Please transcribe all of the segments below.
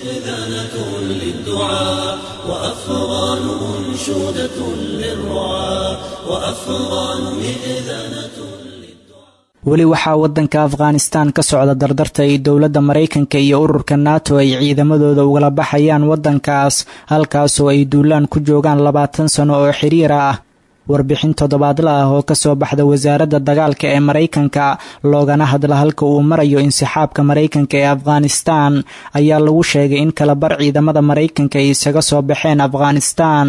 مئذنة للدعاء، وأفغان أنشودة للرعاة، وأفغان مئذنة. Weli waxaa waddanka Afghanistan ka socda dardarta ay dowladda Maraykanka iyo ururka NATO ay ciidamadooda ugala baxayaan waddankaas, halkaasoo ay duulaan ku joogaan 20 sano oo xiriir ah. Warbixin toddobaadla ah oo kasoo baxda wasaaradda dagaalka ee Maraykanka, loogana hadla halka uu marayo insixaabka Maraykanka ee Afghanistan, ayaa lagu sheegay in kalabar ciidamada Maraykanka ay isaga soo baxeen Afghanistan.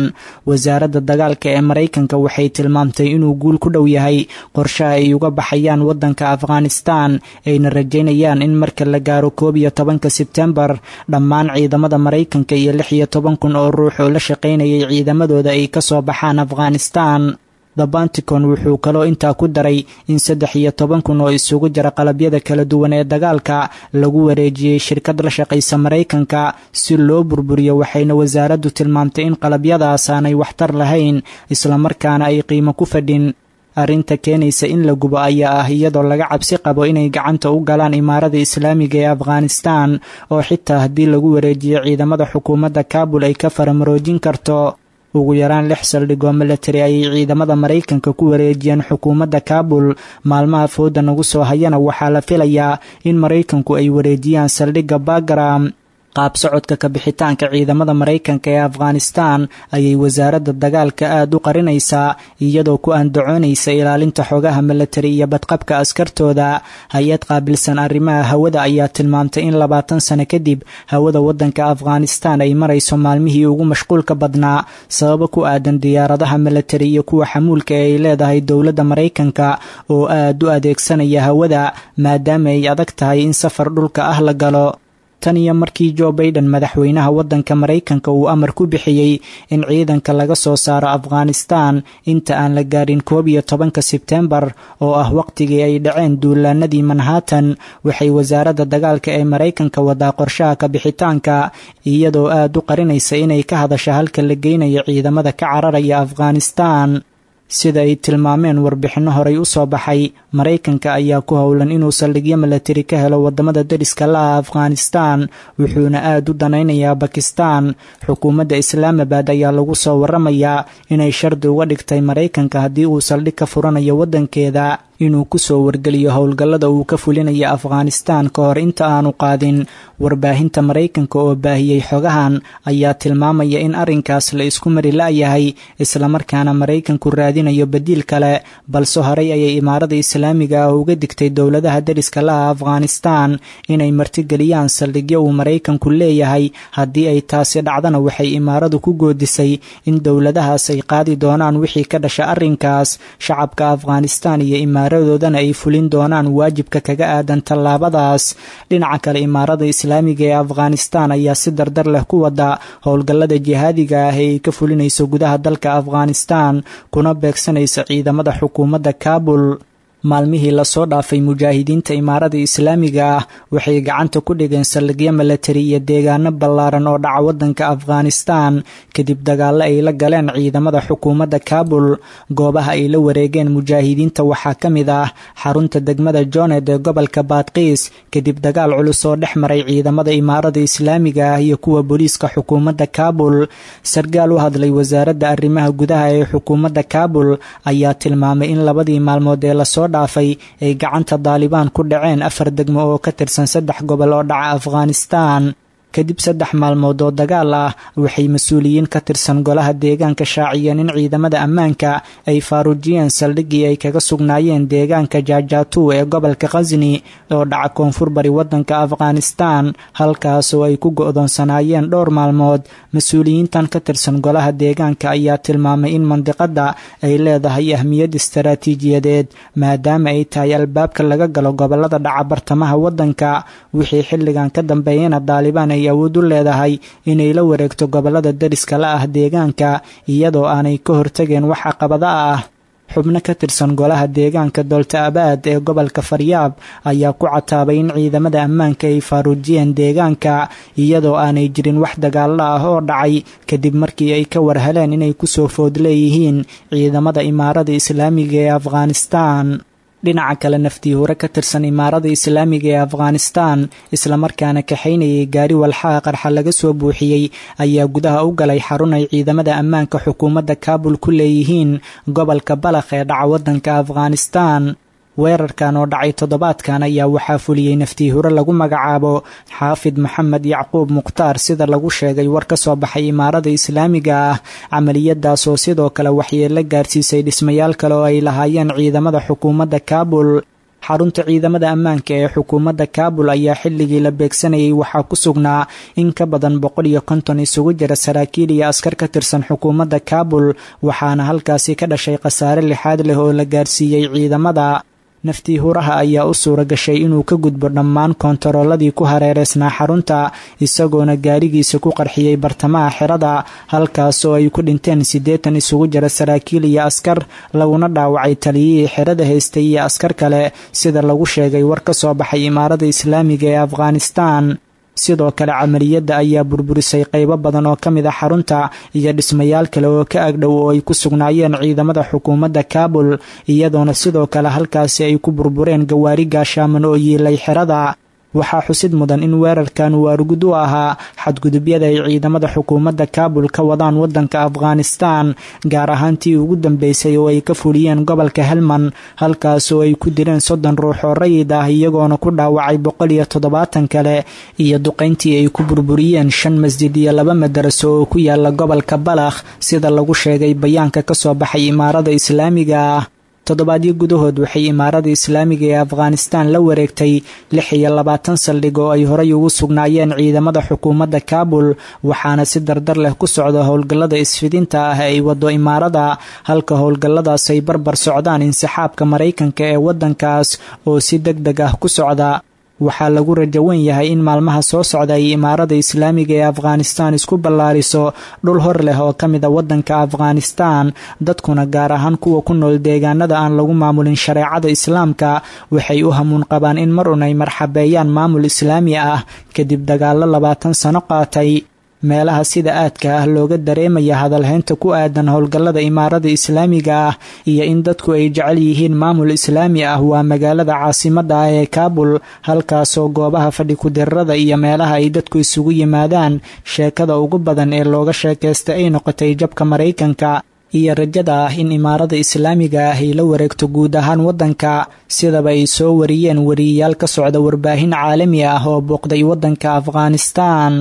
Wasaaradda dagaalka ee Maraykanka waxay tilmaamtay inuu guul ku dhow yahay qorshaha ay uga baxayaan waddanka Afghanistan, ayna rajaynayaan in marka la gaaro 11-ka Sebtembar dhammaan ciidamada Maraykanka iyo 16,000 oo ruux oo la shaqaynayay ciidamadooda ay kasoo baxaan Afghanistan. The Pentagon wuxuu kaloo intaa ku daray in 13,000 oo isugu jira qalabyada kala duwan ee dagaalka lagu wareejiyey shirkad la shaqaysa Maraykanka si loo burburiyo, waxayna wasaaraddu tilmaamtay in qalabyadaas aanay waxtar lahayn, islamarkaana ay qiimo ku fadhin. Arrinta keenaysa in la gubo ayaa ah iyadoo laga cabsi qabo inay gacanta u galaan Imaarada Islaamiga ee Afghanistan, oo xitaa haddii lagu wareejiyo ciidamada xukuumadda Kaabul ay ka faramaroojin karto. Ugu yaraan lix saldhig oo milatari ayay ciidamada Maraykanka ku wareejiyeen xukuumadda Kaabul. Maalmaha fooda nagu soo hayana waxaa la filayaa in Maraykanku ay wareejiyaan saldhigga Bagram. Qaab socodka kabixitaanka ciidamada Maraykanka ee Afghanistan ayay wasaaradda dagaalka aada u qarinaysaa, iyadoo ku andacoonaysa ilaalinta xogaha milatari iyo badqabka askartooda. Hay-ad qaabilsan arrimaha hawada ayaa tilmaamtay in 20 sano kadib hawada waddanka Afghanistan ay marayso maalmihii ugu mashquulka badnaa, sababo ku aadan diyaaradaha milatari iyo kuwa xamuulka ee ay leedahay dowladda Maraykanka oo aada u adeegsanaya hawada, maadaama ay adag tahay in safar dhulka ah la galo. Tan iyo markii Joe Baiden, madaxweynaha waddanka Maraykanka, uu amar ku bixiyey in ciidanka laga soo saaro Afghanistan inta aan la gaarin 11-ka Sebtembar, oo ah waqtigii ay dhaceen duulaanadii Manhattan, waxay wasaaradda dagaalka ee Maraykanka wadaa qorshaha kabixitaanka, iyadoo aada u qarinaysa inay ka hadasha halka la geynayo ciidamada ka cararaya Afghanistan. Sida ay tilmaameen warbixinno horay u soo baxay, Maraykanka ayaa ku howlan inuu saldhigyo milatari ka helo wadamada deriska la ah Afghanistan, wuxuuna aada u danaynayaa Bakistan. Xukuumadda Islaamabad ayaa lagu soo waramayaa inay shardi uga dhigtay Maraykanka haddii uu saldhig ka furanayo waddankeeda inuu kusoo wargeliyo howlgallada uu ka fulinayo Afghanistan ka hor inta aanu qaadin. Warbaahinta Maraykanka oo baahiyey xogahan ayaa tilmaamaya in arrinkaas la isku mari la'yahay, islamarkaana Maraykanku raadinayo badiil kale. Balse horey ayay Imaarada Islaamiga ah uga digtay dowladaha deriska laha Afghanistan inay martigeliyaan saldhigyo uu Maraykanku leeyahay. Haddii ay taasi dhacdana, waxay imaaradu ku goodisay in dowladahaas ay qaadi doonaan wixii ka dhasha arrinkaas, shacabka Afghanistan iyo imaaradoodana ay fulin doonaan waajibka kaga aadan tallaabadaas. Dhinaca kale, Imaarada Islaamiga ee Afghanistan ayaa si dardar leh ku wada howlgallada jihaadiga ah ee ay ka fulinayso gudaha dalka Afghanistan, kuna beegsanaysa ciidamada xukuumadda Kaabul. Maalmihii lasoo dhaafay, mujaahidiinta Imaarada Islaamiga ah waxay gacanta ku dhigeen saldhigyo milatari iyo deegaano ballaaran oo dhaca waddanka Afghanistan, kadib dagaallo ay la galeen ciidamada xukuumadda Kaabul. Goobaha ay la wareegeen mujaahidiinta waxaa ka mid ah xarunta degmada Jonet ee gobolka Baadqiis, kadib dagaal culus oo dhex maray ciidamada Imaarada Islaamiga ah iyo kuwa booliiska xukuumadda Kaabul. Sargaal u hadlay wasaaradda arrimaha gudaha ee xukuumadda Kaabul ayaa tilmaamay in labadii maalmood ee lasoo dhaafay ay gacanta Daalibaan ku dhaceen afar degmo oo ka tirsan saddex gobol oo dhaca Afghanistan. Kadib 3 maalmood oo dagaal ah, waxay mas-uuliyiin ka tirsan golaha deegaanka shaaciyeen in ciidamada ammaanka ay faaruujiyeen saldhiggii ay kaga sugnaayeen deegaanka Jaajaatu ee gobolka Khasni oo dhaca koonfur bari waddanka Afghanistan, halkaasoo ay ku go'doonsanaayeen dhowr maalmood. Mas-uuliyiintan ka tirsan golaha deegaanka ayaa tilmaamay in mandiqadda ay leedahay ahmiyad istaraatiijiyadeed, maadaama ay tahay albaabka laga galo gobolada dhaca bartamaha waddanka. Wixii xilligan ka dambeeyana Daalibaan ay awood u leedahay inay la wareegto gobolada deriska la ah deegaanka, iyadoo aanay ka hortageen wax caqabada ah. Xubno ka tirsan golaha deegaanka Doolta Abaad ee gobolka Faryaab ayaa ku cataabay in ciidamada ammaanka ay faaruujiyeen deegaanka iyadoo aanay jirin wax dagaalo ah oo dhacay, kadib markii ay ka warheleen inay kusoo food leeyihiin ciidamada Imaarada Islaamiga ee Afghanistan. Dhinaca kale, naftiihure ka tirsan Imaarada Islaamiga ee Afghanistan islamarkaana kaxaynayay gaari walxaha qarxa laga soo buuxiyey ayaa gudaha u galay xarun ay ciidamada ammaanka xukuumadda Kaabul ku leeyihiin gobolka Balakh ee dhaca waddanka Afghanistan. Weerarkan oo dhacay toddobaadkan ayaa waxaa fuliyey naftiihure lagu magacaabo Xaafid Maxamed Yacquub Mukhtaar, sida lagu sheegay war ka soo baxay Imaarada Islaamiga ah. Camaliyadaas oo sidoo kale waxyeelo gaarsiisay dhismayaal kale oo ay lahaayeen ciidamada xukuumadda Kaabul. Xarunta ciidamada ammaanka ee xukuumadda Kaabul ayaa xilligii la beegsanayay waxaa ku sugnaa in ka badan 150 isugu jira saraakiil iyo askar ka tirsan xukuumadda Kaabul, waxaana halkaasi ka dhashay khasaare lixaad leh oo la gaarsiiyey ciidamada. Naftiihuraha ayaa u suura gashay inuu ka gudbo dhammaan koontarooladii ku hareereysnaa xarunta, isagoona gaarigiisa ku qarxiyey bartamaha xerada, halkaas oo ay ku dhinteen 80 isugu jira saraakiil iyo askar, laguna dhaawacay taliyihii xerada haystay iyo askar kale, sida lagu sheegay war ka soo baxay Imaarada Islaamiga ee Afghanistan. Sidoo kale, camaliyadda ayaa burburisay qaybo badan oo ka mid a xarunta iyo dhismayaal kale oo ka agdhow oo ay ku sugnaayeen ciidamada xukuumadda Kaabul, iyadoona sidoo kale halkaasi ay ku burbureen gawaari gaashaaman oo yiilay xerada. Waxaa xusid mudan in weerarkan uu argud u ahaa xadgudubyada ay ciidamada xukuumadda Kaabul ka wadaan waddanka Afghanistan, gaar ahaan tii ugu dambeysay oo ay ka fuliyeen gobolka Helman, halkaas oo ay ku dileen 30 ruux oo rayid ah, iyagoona ku dhaawacay 170 kale, iyo duqayntii ay ku burburiyeen shan masjid iyo laba madaraso oo ku yaala gobolka Balakh, sida lagu sheegay bayaanka ka soo baxay Imaarada Islaamiga ah. Toddobaadyo gudahood waxay Imaarada Islaamiga ee Afghanistan la wareegtay 26 saldhig oo ay horay ugu sugnaayeen ciidamada xukuumadda Kaabul, waxaana si dardar leh ku socda howlgallada isfidinta ah ee ay wado imaarada, halka howlgalladaas ay barbar socdaan insixaabka Maraykanka ee waddankaas oo si deg deg ah ku socda. Waxaa lagu rajawan yahay in maalmaha soo socda ay Imaarada Islaamiga ee Afghanistan isku ballaariso dhul hor leh oo ka mid a waddanka Afghanistan. Dadkuna, gaar ahaan kuwa ku nool deegaanada aan lagu maamulin shareecada Islaamka, waxay u hamuun qabaan in mar un ay marxabeeyaan maamul islaami ah kadib dagaallo 20 sano qaatay. Meelaha sida aadka ah looga dareemaya hadalhaynta ku aadan howlgallada Imaarada Islaamiga ah iyo in dadku ay jecel yihiin maamul islaami ah waa magaalada caasimadda ah ee Kaabul, halkaasoo goobaha fadhi ku-dirarada iyo meelaha ay dadku isugu yimaadaan sheekada ugu badan ee looga sheekaysta ay noqotay jabka Maraykanka iyo rajada ah in Imaarada Islaamiga ah ay la wareegto guud ahaan waddanka, sidaba ay soo wariyeen wariyayaal ka socda warbaahin caalami ah oo booqday waddanka Afghanistan.